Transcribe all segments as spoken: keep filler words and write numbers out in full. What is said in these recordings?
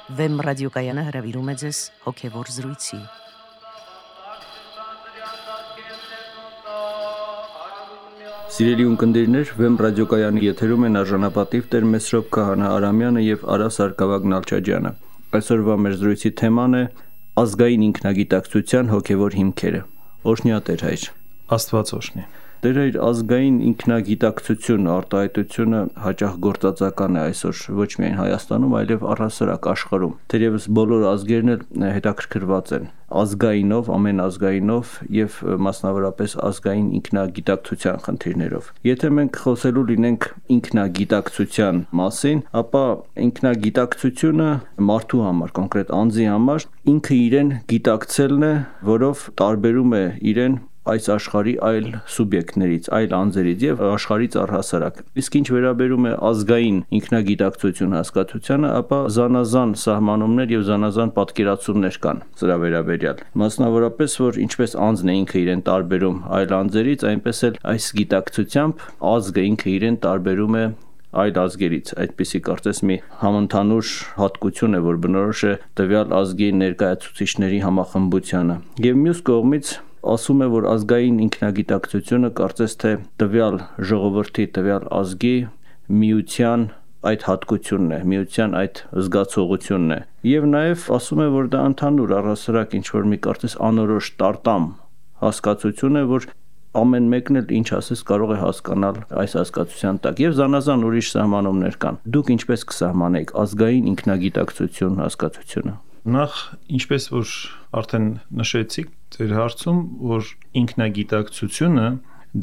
Վեմ ռադիոկայանը հրավիրում է ձեզ հոգևոր զրույցի։ Սիրելի ունկնդիրներ, Վեմ ռադիոկայանի եթերում են արժանապատիվ Տեր Մեսրոպ Քահանա Արամյանը եւ Արա Սարգսակյան Նալչաջյանը։ Այսօրվա մեր զրույցի թեման է ազգային ինքնագիտակցության հոգևոր հիմքերը։ Օրհնյա Տեր հայր։ Աստված օրհնի։ Տեր հայր, ազգային ինքնագիտակցություն արտահայտությունը հաճախ գործածական է այսօր ոչ միայն Հայաստանում, այլև առհասարակ աշխարհում։ Թերևս բոլոր ազգերն էլ հետաքրքրված են ազգայինով, ամեն ազգայինով եւ մասնավորապես ազգային ինքնագիտակցության խնդիրներով։ Եթե մենք խոսելու լինենք ինքնագիտակցության մասին, ապա ինքնագիտակցությունը մարդու համար, կոնկրետ անձի համար ինքը իրեն գիտակցելն է, որով տարբերում է իրեն այս աշխարհի այլ սուբյեկտներից, այլ անձերից եւ աշխարհից առհասարակ։ Իսկ ինչ վերաբերում է ազգային ինքնագիտակցություն հասկացությանը, ապա զանազան սահմանումներ եւ զանազան պատկերացումներ կան սրա վերաբերյալ։ Մասնավորապես, որ ինչպես անձն է ինքը իրեն տարբերում այլ անձերից, այնպես էլ այս գիտակցությամբ ազգը ինքը իրեն տարբերում է այլ ազգերից, այդպիսի կարծես մի համընդհանուր հատկություն է, որ բնորոշ է տվյալ ազգի ներկայացուցիչների համախմբությանը։ Եվ մյուս կողմից ասում է, որ ազգային ինքնագիտակցությունը կարծես թե տվյալ ժողովրդի, տվյալ ազգի միության այդ հատկությունն է, միության այդ զգացողությունն է։ Եվ նաև ասում է, որ դա ընդհանուր առհասարակ ինչ-որ մի կարծես անորոշ տարտամ հասկացություն է, որ ամեն մեկն էլ ինչ ասես կարող է հասկանալ այս հասկացության տակ։ Եվ զանազան ուրիշ սահմանումներ կան։ Դուք ինչպես կսահմանեիք ազգային ինքնագիտակցություն հասկացությունը։ Նախ, ինչպես որ արդեն նշեցիք ձեր հարցում, որ ինքնագիտակցությունը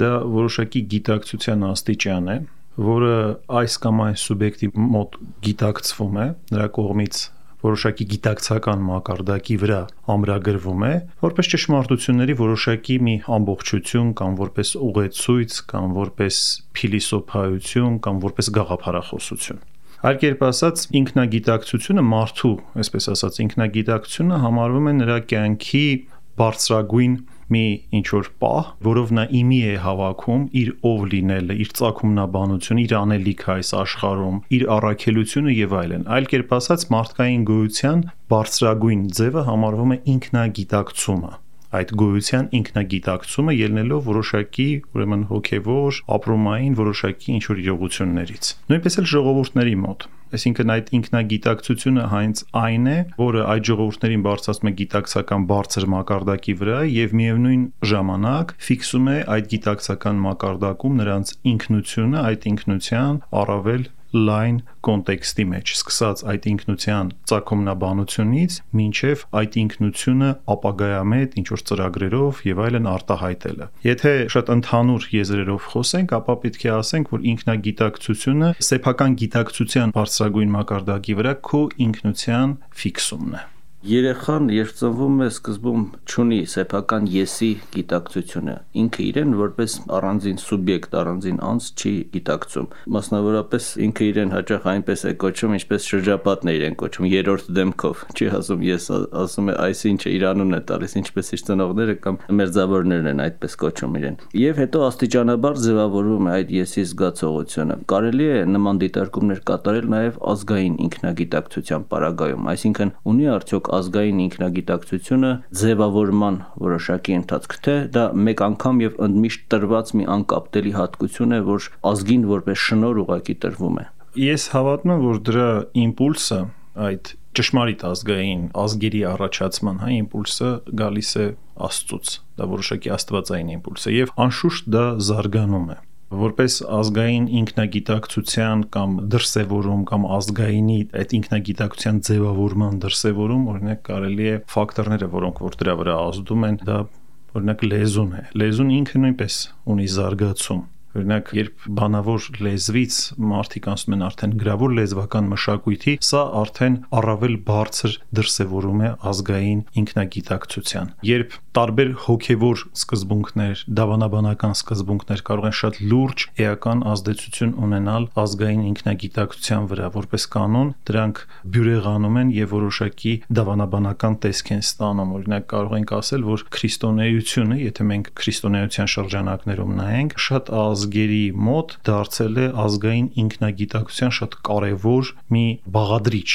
դա որոշակի գիտակցության աստիճան է, որը այս կամ այս սուբյեկտի մոտ գիտակցվում է, նրա կողմից որոշակի գիտակցական մակարդակի վրա ամրագրվում է, որպես ճշմարտությունների որոշակի մի ամբողջություն կամ որպես ուղեցույց կամ որպես փիլիսոփայություն կամ որպես գաղափարախոսություն։ Այլ կերպ ասած, ինքնագիտակցությունը մարդու, այսպես ասած, ինքնագիտակցությունը համարվում է նրա կյանքի բարձրագույն մի ինչ-որ պահ, որով նա իմի է հավաքում իր ով լինելը, իր ծագումնաբանությունը, իր անելիքը այս աշխարհում, իր առաքելությունը եւ այլն։ Այլ կերպ ասած, մարդկային գոյության բարձրագույն ձևը համարվում է ինքնագիտակցումը։ Այդ գոյության ինքնագիտակցումը ելնելով որոշակի, ուրեմն հոգևոր, ապրումային որոշակի ինչ-որ իրողություններից։ Նույնպես էլ ժողովուրդների մոտ։ Այսինքն այդ ինքնագիտակցությունը հենց այն է, որը այդ ժողովուրդներին բարձրացնում է գիտակցական բարձր մակարդակի վրա եւ միևնույն ժամանակ ֆիքսում է այդ գիտակցական մակարդակում նրանց ինքնությունը, այդ ինքնության առավել լայն կոնտեքստի մեջ, սկսած այդ ինքնության ծագումնաբանությունից մինչև այդ ինքնությունը ապագայամետ ինչ-որ ծրագրերով եւ այլն արտահայտելը։ Եթե շատ ընդհանուր եզրերով խոսենք, ապա պետք է ասենք, որ ինքնագիտակցությունը սեփական գիտակցության բարձրագույն մակարդակի վրա քո ինքնության ֆիքսումն է։ Երեխան, երբ ծնվում է, սկզբում չունի սեփական եսի գիտակցությունը։ Ինքը իրեն որպես առանձին սուբյեկտ, առանձին անձ չի գիտակցում։ Մասնավորապես ինքը իրեն հաճախ այնպես է կոչում, ինչպես շրջապատն է իրեն կոչում, երրորդ դեմքով։ Չի ասում ես, ասում է այս ինչը իր անունն է տալիս, ինչպես իր ծնողները կամ մերձավորներն են այդպես կոչում իրեն։ Եվ հետո աստիճանաբար ձևավորվում է այդ եսի զգացողությունը։ Կարելի է նման դիտարկումներ կատարել նաև ազգային ինքնագիտակցության պարագայում, այսինքն ունի արդյոք ազգային ինքնագիտակցությունը ձևավորման որոշակի ընթացք, թե դա մեկ անգամ եւ ընդմիշտ տրված մի անկապտելի հատկություն է, որ ազգին որպես շնոր ուղակի տրվում է։ Ես հավատում եմ, որ դրա իմպուլսը, այդ ճշմարիտ ազգային ազգերի առաջացման հա իմպուլսը գալիս է Աստծուց, դա որոշակի աստվածային իմպուլս է եւ անշուշտ դա զարգանում է։ Որպես ազգային ինքնագիտակցության կամ դրսևորում կամ ազգայինի այդ ինքնագիտակցության ձևավորման դրսևորում, օրինակ կարելի է ֆակտորները, որոնք որ դրա վրա ազդում են, դա օրինակ լեզուն է։ Լեզուն ինքը նույնպես ունի զարգացում։ Օրինակ, երբ բանավոր լեզվից մարդիկ անցնում են արդեն գրավոր լեզվական մշակույթի, սա արդեն առավել բարձր դրսևորում է ազգային ինքնագիտակցության։ Երբ տարբեր հոգևոր սկզբունքներ, դավանաբանական սկզբունքներ կարող են շատ լուրջ էական ազդեցություն ունենալ ազգային ինքնագիտակցության վրա, որպես կանոն դրանք բյուրեղանում են եւ որոշակի դավանաբանական տեսք են ստանում։ Օրինակ, կարող ենք ասել, որ քրիստոնեությունը, եթե մենք քրիստոնեության շրջանակներում նայենք, շատ ազգերի մոտ դարձել է ազգային ինքնագիտակցության շատ կարևոր մի բաղադրիչ։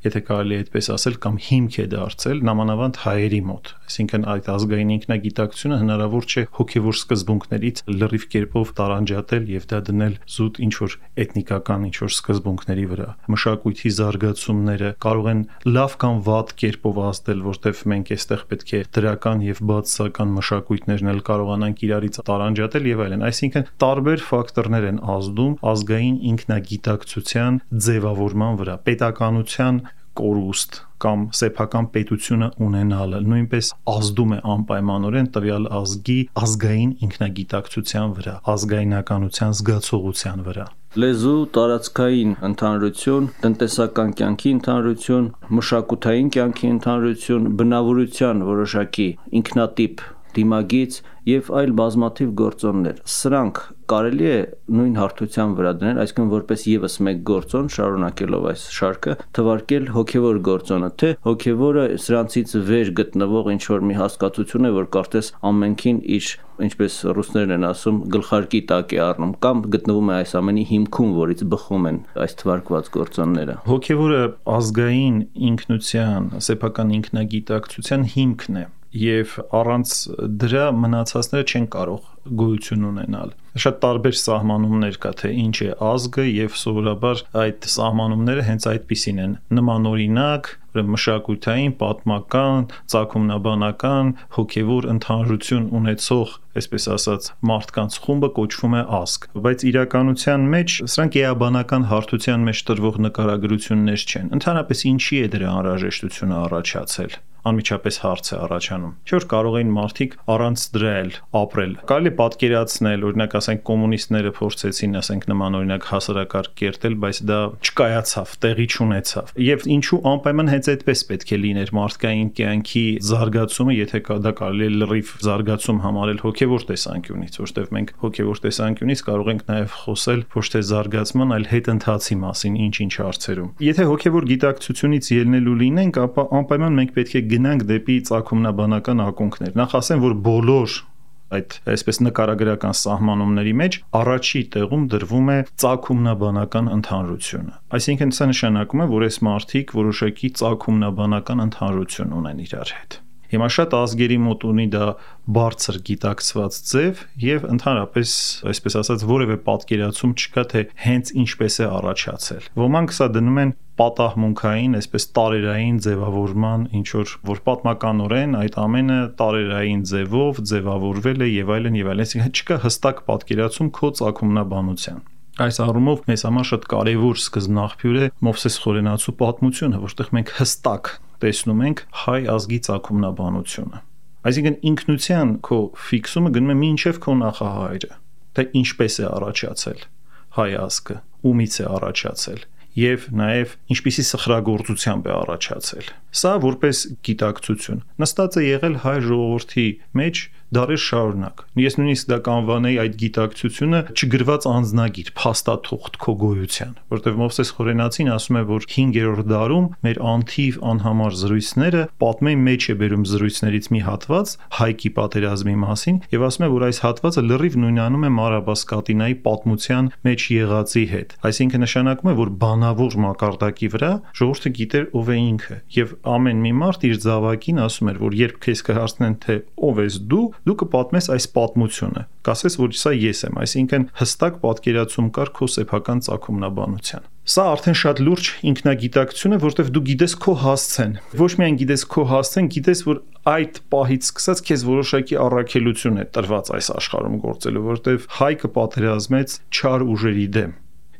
եթե կարելի է այդպես ասել, կամ հիմք է դարձել նամանավանդ հայերի մոտ։ Այսինքն այդ ազգային ինքնագիտակցությունը հնարավոր չէ հոգևոր սկզբունքներից լրիվ կերպով տարանջատել եւ դա դնել զուտ ինչ-որ էթնիկական ինչ-որ սկզբունքների վրա։ Մշակույթի զարգացումները կարող են լավ կամ վատ կերպով ազդել, որտեղ մենք այստեղ պետք է դրական եւ բացասական մշակույթներն էլ կարողանանք իրարից տարանջատել եւ այլն։ Այսինքն տարբեր ֆակտորներ են ազդում ազգային ինքնագիտակցության ձևավորման վրա, պետականության կորուստ կամ սեփական պետությունը ունենալը նույնպես ազդում է անպայմանորեն տվյալ ազգի ազգային ինքնագիտակցության վրա, ազգայնականության զգացողության վրա։ Լեզու, տարածքային ընդհանրություն, տնտեսական կյանքի ընդհանրություն, մշակութային կյանքի ընդհանրություն, բնավորության որոշակի ինքնատիպ դիմագիծ եւ այլ բազմաթիվ գործոններ։ Սրանք կարելի է նույն հարթության վրա դնել, այսինքն որպես եւս մեկ գործոն, շարունակելով այս շարքը, թվարկել հոգեվոր գործոնը, թե հոգեվորը սրանցից վեր գտնվող ինչ-որ մի հասկացություն է, որ կարծես ամենքին իր, ինչպես ռուսներն են ասում, գլխարկի տակ է առնում, կամ գտնվում է այս ամենի հիմքում, որից բխում են այս թվարկված գործոնները։ Հոգեվորը ազգային ինքնության, սեփական ինքնագիտակցության հիմքն է եւ առանց դրա մնացածները չեն կարող գոյություն ունենալ։ Շատ տարբեր սահմանումներ կա, թե ինչ է ազգը եւ սովորաբար այդ սահմանումները հենց այդպիսին են՝ նմանօրինակ, մշակութային, պատմական, ծագումնաբանական, հոգեվոր ընդհանրություն ունեցող, այսպես ասած, մարդկանց խումբը կոչվում է ազգ, բայց իրականության մեջ սրանք էաբանական հարթության մեջ տրվող նկարագրություններ չեն։ Ընդհանրապես ինչի է դրա անհրաժեշտությունը առաջացել։ Անմիջապես հարց է առաջանում։ Չէ՞ որ կարող էին մարդիկ առանց դրա էլ ապրել։ Կարելի է պատկերացնել, օրինակ ասենք կոմունիստները փորձեցին, ասենք նմանօրինակ հասարակարգ կերտել, բայց դա չկայացավ, տեղի չունեցավ։ Եվ ինչու անպայման հենց այդպես պետք է լիներ մարդկային կյանքի զարգացումը, եթե դա կարելի է լրիվ զարգացում համարել հոգևոր տեսանկյունից, որովհետև մենք հոգևոր տեսանկյունից կարող ենք նաև խոսել ոչ թե զարգացման, այլ հետընթացի մասին ինչ-ինչ հարցերում։ Եթե հոգևոր գիտակցությունից ելնելու լինենք, ապա անպայման մենք պետք է գնանք դեպի ծագումնաբանական ակունքներ։ Նախ ասեմ, որ բոլոր այդ այսպես նկարագրական սահմանումների մեջ առաջի տեղում դրվում է ծագումնաբանական ընդհանրությունը։ Այսինքն սա նշանակում է, որ այս մարդիկ որոշակի ծագումնաբանական ընդհանրություն ունեն իրար հետ։ Հիմա շատ ազգերի մոտ ունի դա բարձր գիտակցված ձև եւ ընդհանրապես, այսպես ասած, որևէ պատկերացում չկա, թե հենց ինչպես է առաջացել։ Ոմանք սա դնում են պատահմունքային, այսպես տարերային ձևավորման, ինչ որ որ պատմականորեն այդ ամենը տարերային ձևով ձևավորվել է եւ այլն եւ այլն, այսինքն չկա հստակ պատկերացում քո ծագումնաբանության։ Այս առումով մեզ համար շատ կարևոր սկզբնաղբյուր է Մովսես Խորենացու պատմությունը, որտեղ մենք հստակ տեսնում ենք հայ ազգի ծագումնաբանությունը։ Այսինքն ինքնության քո ֆիքսումը գնում է մինչև քո նախահայրը, թե ինչպես է առաջացել հայ ազգը, ումից է առաջացել եւ նաեւ ինչպիսի սխրագործությամբ է առաջացել։ Սա որպես գիտակցություն նստած է եղել հայ ժողովրդի մեջ դարեր շարունակ։ Ես նույնիսկ դա կանվանեի այդ գիտակցությունը չգրված անձնագիր, փաստաթուղթ քո գոյության, որտեղ Մովսես Խորենացին ասում է, որ հինգերորդ դարում մեր անթիվ անհամար զրույցները պատմեն մեջ է բերում զրույցներից մի հատված Հայքի պատերազմի մասին եւ ասում է, որ այս հատվածը լրիվ նույնանում է Մարաբասկատինայի պատմության մեջ եղածի հետ։ Այսինքն նշանակում է, որ բանավոր մակարդակի վրա ժողովուրդը գիտեր ով է ինքը եւ ամեն մի մարդ իր զավակին ասում էր, որ երբ քեզ կհարցնեն, թե ով ես դու, դու կպատմես այս պատմությունը, կասես, որ սա ես եմ, այսինքն հստակ պատկերացում կար քո սեփական ծագումնաբանության։ Սա արդեն շատ լուրջ ինքնագիտակցություն է, որտեղ դու գիտես քո հասցեն։ Ոչ միայն գիտես քո հասցեն, գիտես, որ այդ պահից սկսած քեզ որոշակի առաքելություն է տրված այս աշխարհում գործելու, որտեղ Հայքը պատերազմեց չար ուժերի դեմ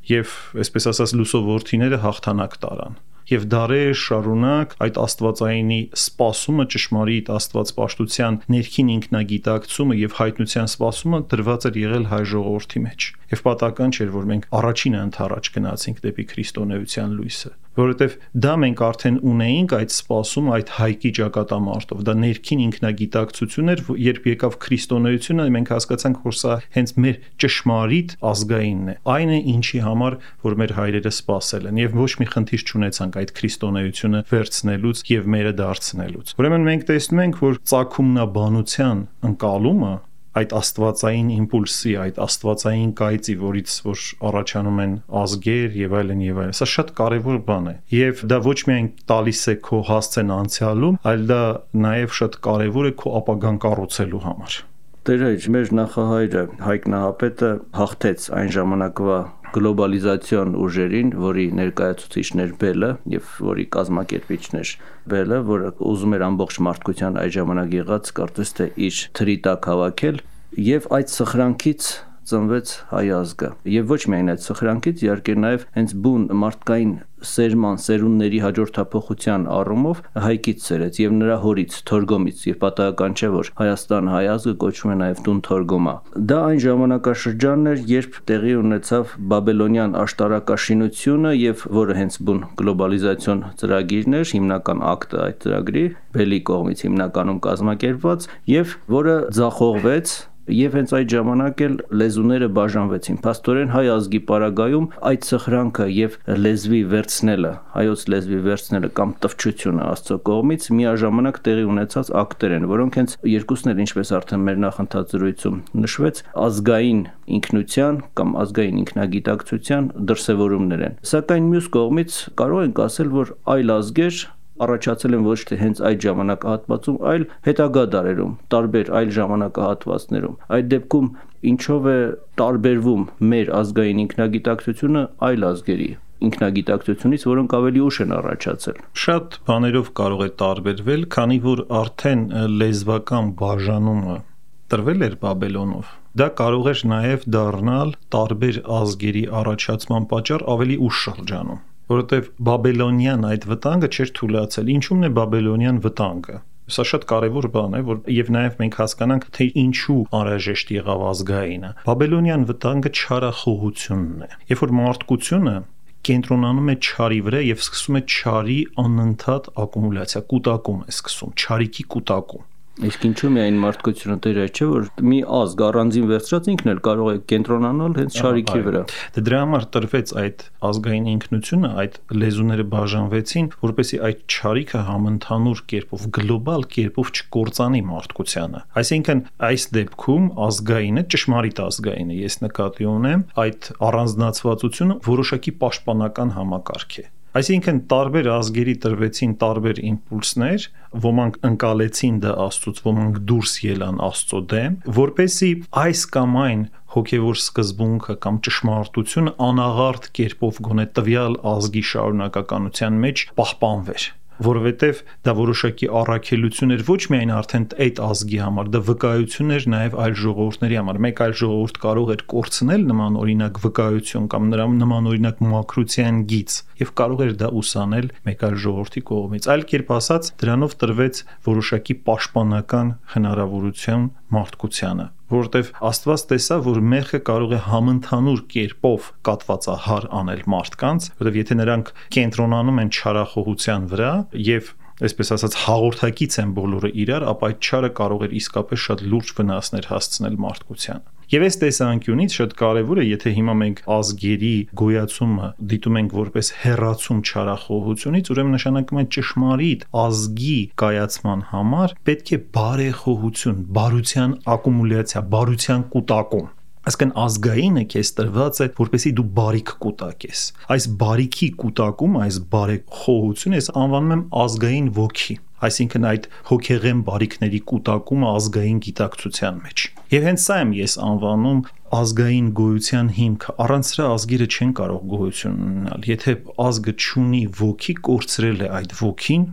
եւ այսպես ասած լուսով որդիները հաղթանակ տարան։ Եվ դարեր շարունակ այդ աստվածայինի սպասումը, ճշմարիտ աստվածպաշտության ներքին ինքնագիտակցումը եւ հայտնության սպասումը դրված էր եղել հայ ժողովրդի մեջ։ Եվ պատահական չէր, որ մենք առաջինը ընթառաջ գնացինք դեպի քրիստոնեության լույսը, որովհետեւ դա մենք արդեն ունեինք այդ սպասումը այդ հայկի ճակատամարտով։ Դա ներքին ինքնագիտակցություն էր, երբ եկավ քրիստոնեությունը, մենք հասկացանք, որ սա հենց մեր ճշմարիտ ազգայինն է։ Այն է, ինչի համար որ մեր հայրերը սպասել են եւ ոչ մի խնդիր չունեցանք այդ քրիստոնեությունը վերցնելուց եւ մերը դարձնելուց։ Ուրեմն մենք տեսնում ենք, որ ծագումնաբանության ընկալումը այդ աստվածային իմպուլսի, այդ աստվածային կայծի, որից որ առաջանում են ազգեր եւ այլն եւ այլն։ Սա շատ կարեւոր բան է։ Եվ դա ոչ միայն տալիս է քո հասցեն անցյալում, այլ դա նաեւ շատ կարեւոր է քո ապագան կառուցելու համար։ Տեր մեր նախահայրը Հայկ Նահապետը հաղթեց այն ժամանակվա գլոբալիզացիոն ուժերին, որի ներկայացուցիչներ Բելը եւ որի կազմակերպիչներ Բելը, որը ուզում էր ամբողջ մարդկության այդ ժամանակ եղած կարծես թե իր թրի տակ հավաքել, եւ այդ սխրանքից ծնվեց հայ ազգը։ Եվ ոչ միայն այդ սխրանքից, իհարկե նաև հենց բուն մարդկային սերման, սերունդների հաջորդափոխության առումով հայկից սերեց եւ նրա հորից, Թորգոմից, եւ պատահական չէ, որ Հայաստան հայ ազգը կոչվում է նաև տուն Թորգոմա։ Դա այն ժամանակաշրջանն էր, երբ տեղի ունեցավ բաբելոնյան աշտարակաշինությունը եւ որը հենց բուն գլոբալիզացիոն ծրագիրն էր, հիմնական ակտը այդ ծրագրի Բելի կողմից հիմնականում կազմակերպված եւ որը ձախողվեց Եվ հենց այդ ժամանակ էլ լեզուները բաժանվեցին։ Փաստորեն հայ ազգի պարագայում այդ սխրանքը եւ լեզվի վերցնելը, հայոց լեզվի վերցնելը կամ տվչությունը Աստծո կողմից միաժամանակ տեղի ունեցած ակտեր են, որոնք հենց երկուսն էլ, ինչպես արդեն մեր նախընթաց զրույցում նշվեց, ազգային ինքնության կամ ազգային ինքնագիտակցության դրսևորումներ են։ Սակայն մյուս կողմից կարող ենք ասել, որ այլ ազգեր առաջացել են ոչ թե հենց այդ ժամանակահատվածում, այլ հետագա դարերում, տարբեր այլ ժամանակահատվածներում։ Այդ դեպքում ինչով է տարբերվում մեր ազգային ինքնագիտակցությունը այլ ազգերի ինքնագիտակցությունից, որոնք ավելի ուշ են առաջացել։ Շատ բաներով կարող է տարբերվել, քանի որ արդեն լեզվական բաժանումը տրվել էր Բաբելոնով։ Դա կարող էր նաև դառնալ տարբեր ազգերի առաջացման պատճառ ավելի ուշ շրջանում։ Որովհետև բաբելոնյան այդ վտանգը չէր թույլատրել։ Ինչու՞մն է բաբելոնյան վտանգը։ Սա շատ կարևոր բան է, որ եւ նաեւ մենք հասկանանք, թե ինչու անհրաժեշտ եղավ ազգայինը։ Բաբելոնյան վտանգը չարախոհությունն է։ Երբ որ մարդկությունը կենտրոնանում է չարի վրա եւ սկսում է չարի անընդհատ ակումուլյացիա, կուտակում է սկսում, չարիքի կուտակում։ Իսկ ինչու՞ միայն մարդկությունը դեր է, չէ՞ որ մի ազգ առանձին վերցրած ինքն էլ կարող է կենտրոնանալ հենց չարիքի վրա։ Դե դրա համար տրվեց այդ ազգային ինքնությունը, այդ լեզուները բաժանվեցին, որպեսզի այդ չարիքը համընդհանուր կերպով, գլոբալ կերպով չկործանի մարդկությանը։ Այսինքն այս դեպքում ազգայինը, ճշմարիտ ազգայինը, ես նկատի ունեմ, այդ առանձնացվածությունը որոշակի պաշտպանական համակարգ է։ Այսինքն տարբեր ազգերի տրվեցին տարբեր իմպուլսներ, ոմանք ընկալեցին դա Աստծուց, ոմանք դուրս ելան Աստծո դեմ, որպեսզի այս կամ այն հոգևոր սկզբունքը կամ ճշմարտությունը անաղարտ կերպով գոնե տվյալ ազգի շարունակականության մեջ պահպանվեր։ Որովհետև դա որոշակի առաքելություն էր ոչ միայն արդեն այդ ազգի համար, դա վկայություն էր նաև այլ ժողովուրդների համար։ Մեկ այլ ժողովուրդ կարող էր կորցնել նման օրինակ վկայություն կամ նրա նման օրինակ մաքրության գիծ եւ կարող էր դա ուսանել մեկ այլ ժողովրդի կողմից։ Այլ կերպ ասած, դրանով տրվեց որոշակի պաշտպանական հնարավորություն մարդկությանը, որովհետև Աստված տեսավ, որ մեղքը կարող է համընդհանուր կերպով կատվածահար անել մարդկանց, որովհետև եթե նրանք կենտրոնանում են չարախոհության վրա եւ այսպես ասած հաղորդակից են բոլորը իրար, ապա այդ չարը կարող էր իսկապես շատ լուրջ վնասներ հասցնել մարդկությանը։ Եվ այս տեսանկյունից շատ կարևոր է, եթե հիմա մենք ազգերի գոյացումը դիտում ենք որպես հեռացում չարախոհությունից, ուրեմն նշանակում է ճշմարիտ ազգի կայացման համար պետք է բարեխոհություն, բարության ակումուլյացիա, բարության կուտակում։ Այսինքն ազգայինը քեզ տրված է, որպեսզի դու բարիք կուտակես։ Այս բարիքի կուտակում, այս բարեխոհությունը ես անվանում եմ ազգային ոգի։ Այսինքն այդ հոգեղեն բարիքների կուտակումը ազգային գիտակցության մեջ։ Եվ հենց սա եմ ես անվանում ազգային գոյության հիմքը։ Առանց սրա ազգերը չեն կարող գոյություն ունենալ։ Եթե ազգը չունի ոգի, կորցրել է այդ ոգին,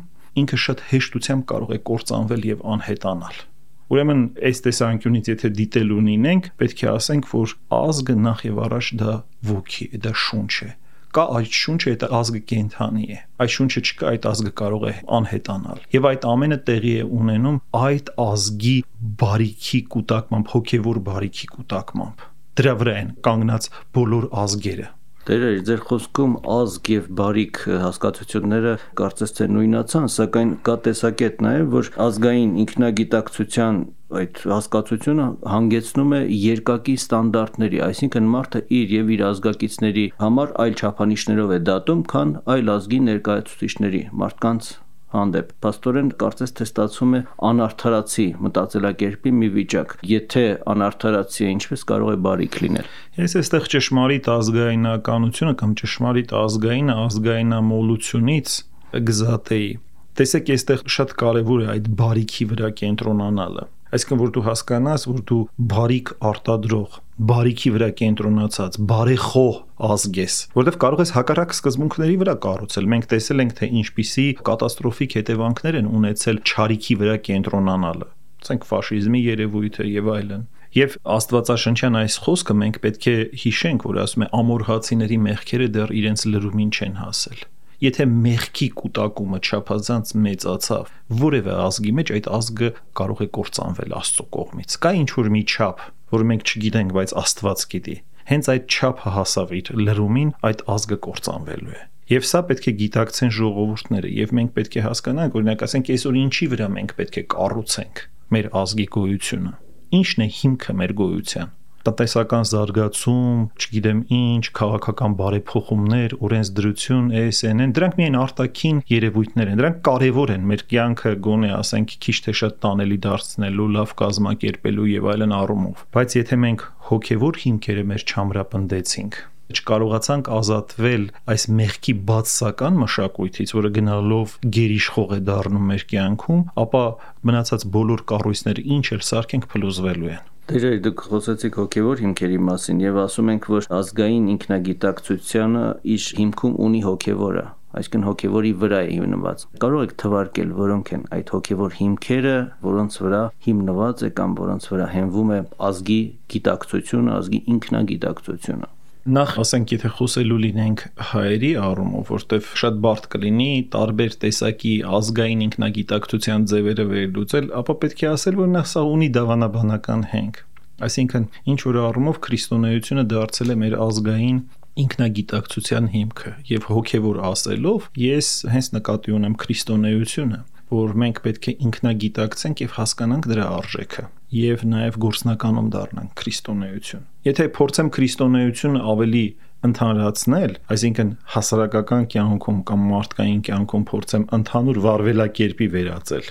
ինքը շատ հեշտությամբ կարող է կործանվել եւ անհետանալ։ Ուրեմն այս տեսանկյունից եթե դիտել ունենք, պետք է ասենք, որ ազգը նախ եւ առաջ դա ոգի է, դա շունչ է։ Կա այդ շունչը, այդ ազգը կենդանի է։ Այդ շունչը չկա, այդ ազգը կարող է անհետանալ։ Եվ այդ ամենը տեղի է ունենում այդ ազգի բարիքի կուտակմամբ, հոգևոր բարիքի կուտակմամբ։ Դրա վրա են կանգնած բոլոր ազգերը։ Տերը, ձեր խոսքում ազգ եւ բարիք հասկացությունները կարծես թե նույնացան, սակայն կա տեսակետ նաեւ, որ ազգային ինքնագիտակցության այդ հասկացությունը հանգեցնում է երկակի ստանդարտների, այսինքն մարդը իր եւ իր ազգակիցների համար այլ չափանիշներով է դատում, քան այլ ազգի ներկայացուցիչների, մարդկանց հանդեպ։ Փաստորեն կարծես թե ստացվում է անարդարացի մտածելակերպի մի վիճակ։ Եթե անարդարացի է, ինչպես կարող է բարիք լինել։ Ես այստեղ ճշմարիտ ազգայնականությունը կամ ճշմարիտ ազգային ազգայնամոլությունից գզատեի։ Տեսեք, այստեղ շատ կարևոր է այդ բարիքի վրա կենտրոնանալը։ Այսինքն, որ դու հասկանաս, որ դու բարիք արտադրող, բարիքի վրա կենտրոնացած, բարեխոհ ազգ ես, որովհետև կարող ես հակառակ սկզբունքների վրա կառուցել։ Մենք տեսել ենք, թե ինչպիսի կատաստրոֆիկ հետևանքներ են ունեցել չարիքի վրա կենտրոնանալը, ասենք ֆաշիզմի երևույթը եւ այլն։ Եվ Աստվածաշնչյան այս խոսքը մենք պետք է հիշենք, որ ասում է ամորհացիների մեղքերը դեռ իրենց լրումին չեն հասել։ Եթե մեղքի կուտակումը չափազանց մեծացավ որևէ ազգի մեջ, այդ ազգը կարող է կործանվել Աստծո կողմից։ Կա ինչ-որ մի չափ, որը մենք չգիտենք, բայց Աստված գիտի։ Հենց այդ չափը հասավ իր լրումին, այդ ազգը կործանվելու է։ Եվ սա պետք է գիտակցեն ժողովուրդները, եւ մենք պետք է հասկանանք, օրինակ ասենք, այսօր ինչի վրա մենք պետք է կառուցենք մեր ազգի գոյությունը։ Ինչն է հիմքը մեր գոյության։ Տնտեսական զարգացում, չգիտեմ ինչ, քաղաքական բարեփոխումներ, օրենսդրություն, էս էն են, դրանք միայն արտաքին երևույթներ են, դրանք կարևոր են մեր կյանքը գոնե ասենք քիչ թե շատ տանելի դարձնելու, լավ կազմակերպելու եւ այլն առումով։ Բայց եթե մենք հոգեվոր հիմքերը մեր չամրապնդեցինք, չկարողացանք ազատվել այս մեղքի բացասական մշակույթից, որը գնալով գերիշխող է դառնում մեր կյանքում, ապա մնացած բոլոր կառույցները ինչ էլ սարքենք փլուզվելու են։ Դերերի դուք խոսեցիք հոգևոր հիմքերի մասին եւ ասում ենք, որ ազգային ինքնագիտակցությունը իր հիմքում ունի հոգևորը, այսինքն հոգևորի վրա է հիմնված։ Կարող եք թվարկել, որոնք են այդ հոգևոր հիմքերը, որոնց վրա հիմնված է կամ որոնց վրա հենվում է ազգի գիտակցությունը, ազգի ինքնագիտակցությունը։ Նախ ասենք, եթե խոսելու լինենք հայերի առումով, որտեվ շատ բարդ կլինի տարբեր տեսակի ազգային ինքնագիտակցության ձևերը վերլուծել, ապա պետք է ասել, որ նա սա ունի դավանաբանական հենք։ Այսինքն, ինչ որ առումով քրիստոնեությունը դարձել է մեր ազգային ինքնագիտակցության հիմքը, եւ հոգեվոր ասելով, ես հենց նկատի ունեմ քրիստոնեությունը, որ մենք պետք է ինքնագիտակցենք եւ հասկանանք դրա արժեքը եւ նաեւ գործնականում դառնանք քրիստոնեություն։ Եթե փորձեմ քրիստոնեությունը ավելի ընդհանրացնել, այսինքն հասարակական կյանքում կամ մարդկային կյանքում փորձեմ ընդհանուր վարվելակերպի վերածել,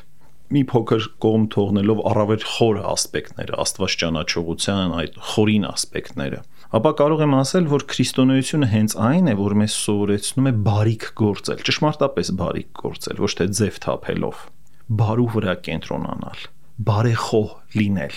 մի փոքր կողմ թողնելով առավել խոր ասպեկտները, Աստված ճանաչողության այդ խորին ասպեկտները, ապա կարող եմ ասել, որ քրիստոնեությունը հենց այն է, որ մեզ սովորեցնում է բարիք գործել, ճշմարտապես բարիք գործել, ոչ թե ձև թափելով, բարու վրա կենտրոնանալ, բարեխոհ լինել։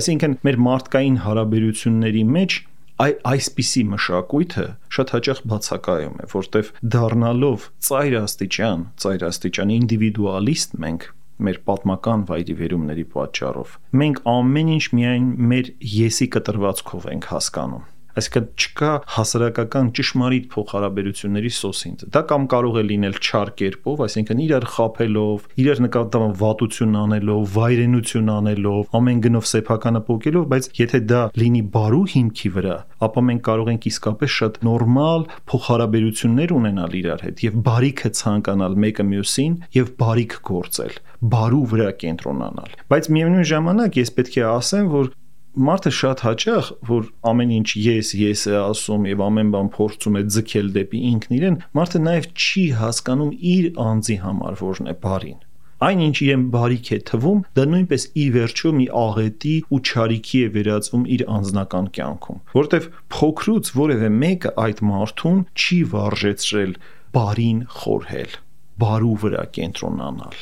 Այսինքն մեր մարդկային հարաբերությունների մեջ այ այսպիսի մշակույթը շատ հաճախ բացակայում է, որտեվ դառնալով ծայրաստիճան, ծայրաստիճան ինդիվիդուալիստ մենք մեր պատմական վայրիվերումների պատճառով մենք ամեն ինչ միայն մեր եսի կտրվածքով ենք հասկանում։ Այսինքն չկա հասարակական ճշմարիտ փոխհարաբերությունների սոսինձ։ Դա կամ կարող է լինել չար կերպով, այսինքն իրար խաբելով, իրար նկատմամբ վատություն անելով, վայրենություն անելով, ամեն գնով սեփականը պոկելով, բայց եթե դա լինի բարու հիմքի վրա, ապա մենք կարող ենք իսկապես շատ նորմալ փոխհարաբերություններ ունենալ իրար հետ եւ բարիքը ցանկանալ մեկը մյուսին եւ բարիք գործել, բարու վրա կենտրոնանալ։ Բայց միևնույն ժամանակ ես պետք է ասեմ, որ մարդը շատ հաճախ, որ ամեն ինչ ես, ես է ասում եւ ամեն բան փորձում է ձգել դեպի ինքն իրեն, մարդը նաեւ չի հասկանում իր անձի համար որն է բարին։ Այն ինչ իրեն բարիք է թվում, դա նույնպես ի վերջո մի աղետի ու չարիքի է վերածվում իր անձնական կյանքում, որտեվ փոքրուց որևէ մեկը այդ մարդուն չի վարժեցրել բարին խորհել, բարու վրա կենտրոնանալ,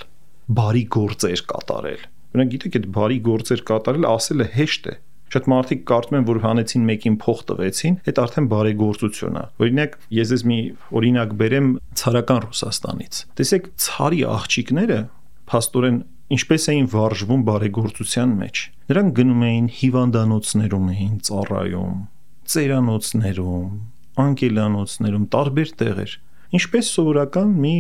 բարի գործեր կատարել։ Օրինակ գիտեք, այդ բարի գործեր կատարել ասելը հեշտ է։ Շատ մարդիկ կարծում են, որ հանեցին մեկին փող տվեցին, այդ արդեն բարեգործություն է։ Օրինակ, ես ես մի օրինակ բերեմ ցարական Ռուսաստանից։ Տեսեք, ցարի աղջիկները փաստորեն ինչպես էին վարժվում բարեգործության մեջ։ Նրանք գնում էին հիվանդանոցներում էին ծառայում, ծերանոցներում, անկելանոցներում, տարբեր տեղեր։ Ինչպես սովորական մի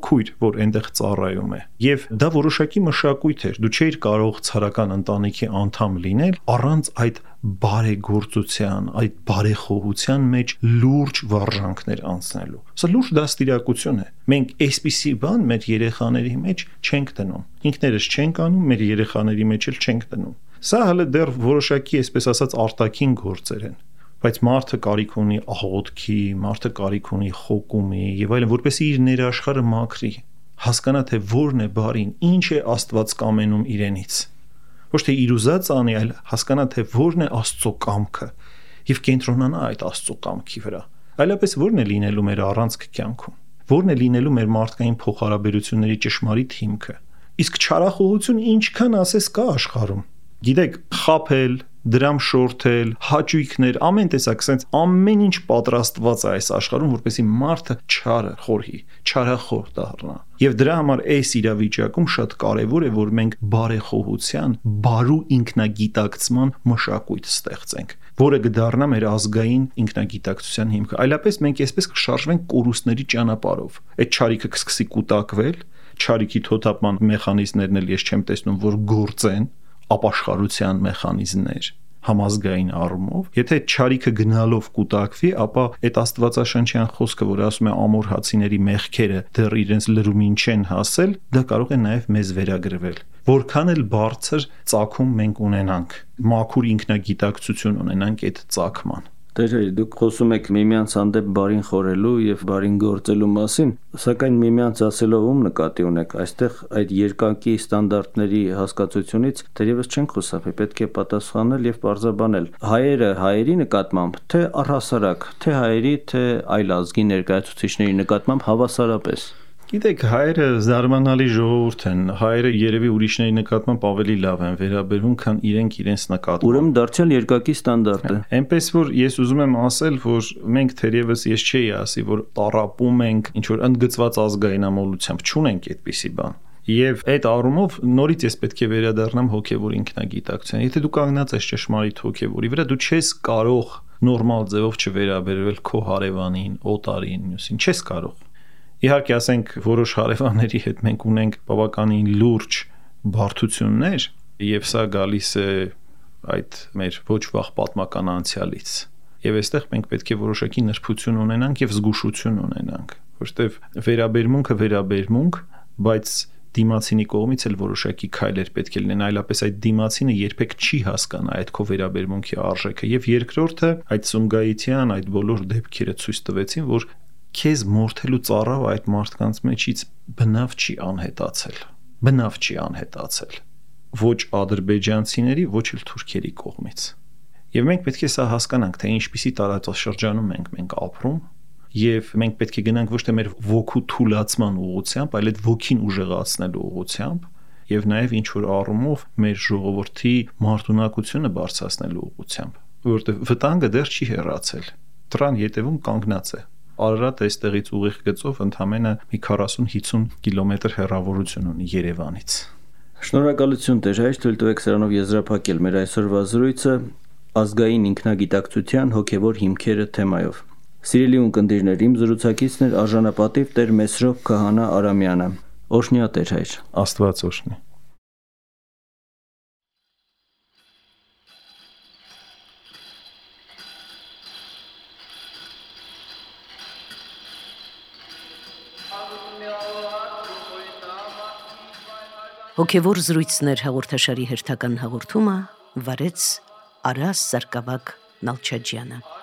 քույր, որ այնտեղ ծառայում է։ Եվ դա որոշակի մշակույթ էր։ Դու չէիր կարող ցարական ընտանիքի անդամ լինել առանց այդ բարեգործության, այդ բարեխոհության մեջ լուրջ վարժանքներ անցնելու։ Սա լուրջ դաստիարակություն է։ Մենք այսպիսի բան մեր երեխաների մեջ չենք դնում։ Ինքներս չենք անում, մեր երեխաների մեջ էլ չենք դնում։ Սա հələ դեռ որոշակի, այսպես ասած, արտաքին գործեր են։ Բայց մարդը կարիք ունի աղոթքի, մարդը կարիք ունի խոկումի եւ այլն, որպեսզի իր ներաշխարհը մաքրի։ հասկանա թե որն է բարին, ինչ է Աստված կամենում իրենից։ Ոչ թե իր ուզած անի, այլ հասկանա թե որն է Աստծո կամքը եւ կենտրոնանա այդ Աստծո կամքի վրա։ Այլապես որն է լինելու մեր առանցքը կյանքում։ Որն է լինելու մեր մարդկային փոխհարաբերությունների ճշմարիտ հիմքը։ Իսկ չարախոհություն ինչքան ասես կա աշխարհում։ Գիտեք, խաբել, դրամ շորթել, հաճույքներ, ամեն տեսակ sense ամեն ինչ պատրաստված է այս աշխարհում, որպեսզի մարդը չարը խորհի, չարախոհ դառնա։ Եվ դրա համար այս իրավիճակում շատ կարևոր է, որ մենք բարեխոհության, բարու ինքնագիտակցման մշակույթ ստեղծենք, որը կդառնա մեր ազգային ինքնագիտակցության հիմքը։ Այլապես մենք այսպես կշարժվենք կորուստների ճանապարհով։ Այդ չարիքը կսկսի կուտակվել, չարիքի թոթափման մեխանիզմներն էլ ես չեմ տեսնում, որ գործեն, ապաշխարության մեխանիզմներ համազգային առումով, եթե չարիքը գնալով կուտակվի, ապա այդ աստվածաշնչյան խոսքը, որ ասում է ամոր հացիների մեղքերը դեռ իրենց լրումին չեն հասել, դա կարող է նաև մեզ վերագրվել։ Որքան էլ բարձր ծագում մենք ունենանք, մաքուր ինքնագիտակցություն ունենանք այդ ծագման։ Տեր, դուք խոսում եք միմյանց հանդեպ բարին խորելու եւ բարին գործելու մասին, սակայն միմյանց ասելով ում նկատի ունեք, այստեղ այդ երկակի ստանդարտների հասկացությունից դերևս չենք խուսափի, պետք է պատասխանել եւ բարձրաբանել։ Հայերը հայերի նկատմամբ, թե առհասարակ, թե հայերի, թե այլ ազգի ներկայացուցիչների նկատմամբ հավասարապես։ Գիտեք, հայերը զարմանալի ժողովուրդ են, հայերը երևի ուրիշների նկատմամբ ավելի լավ են վերաբերվում, քան իրենք իրենց նկատմամբ։ Ուրեմն դարձյալ երկակի ստանդարտ է։ Այնպես որ ես ուզում եմ ասել, որ մենք թերևս ես չէի ասի, որ տառապում ենք ինչ որ ընդգծված ազգայնամոլությամբ, չունենք այդպիսի բան։ Եվ այդ առումով նորից ես պետք է վերադառնամ հոգևոր ինքնագիտակցության։ Եթե դու կանգնած ես ճշմարիտ հոգևորի վրա, դու չես կարող նորմալ ձևով չվերաբերվել քո հարևանին, օտարին, մյուսին, չես կարող։ Իհարկե, ասենք, որոշ հարևանների հետ մենք ունենք բավականին լուրջ բարդություններ, եւ սա գալիս է այդ մեր ոչ վաղ պատմական անցյալից։ Եվ այստեղ մենք պետք է որոշակի նրբություն ունենանք եւ զգուշություն ունենանք, որովհետեւ վերաբերմունքը վերաբերմունք, բայց դիմացինի կողմից էլ որոշակի քայլեր պետք է լինեն, այլապես այդ դիմացինը երբեք չի հասկանա այդ քո վերաբերմունքի արժեքը։ Եվ երկրորդը, այդ Սումգայիթյան այդ բոլոր դեպքերը ցույց տվեցին, որ քեզ մորթելու ծառավ այդ մարդկանց մեջից բնավ չի անհետացել, բնավ չի անհետացել, ոչ ադրբեջանցիների, ոչ էլ թուրքերի կողմից։ Եվ մենք պետք է սա հասկանանք, թե ինչպիսի տարածաշրջանում ենք մենք ապրում, եւ մենք պետք է գնանք ոչ թե մեր ոգու թուլացման ուղղությամբ, այլ այդ ոգին ուժեղացնելու ուղղությամբ, եւ նաեւ ինչ որ առումով մեր ժողովրդի մարտունակությունը բարձրացնելու ուղղությամբ, որովհետեւ վտանգը դեռ չի հեռացել, դրան ետևում կանգնած է։ Արարատ այստեղից ուղիղ գծով ընդամենը մի քառասուն-հիսուն կիլոմետր հեռավորություն ունի Երևանից։ Շնորհակալություն Տեր հայր, թույլ տվեք սրանով եզրափակել մեր այսօրվա զրույցը ազգային ինքնագիտակցության հոգևոր հիմքերը թեմայով։ Սիրելի ունկնդիրներ, իմ զրուցակիցն էր արժանապատիվ Տեր Մեսրոպ Քահանա Արամյանը։ Օրհնյա Տեր հայր։ Աստված օրհնի։ Հոգևոր զրույցներ հաղորդաշարի հերթական հաղորդումը վարեց Արաս Սարգսակ Նալչաջյանը։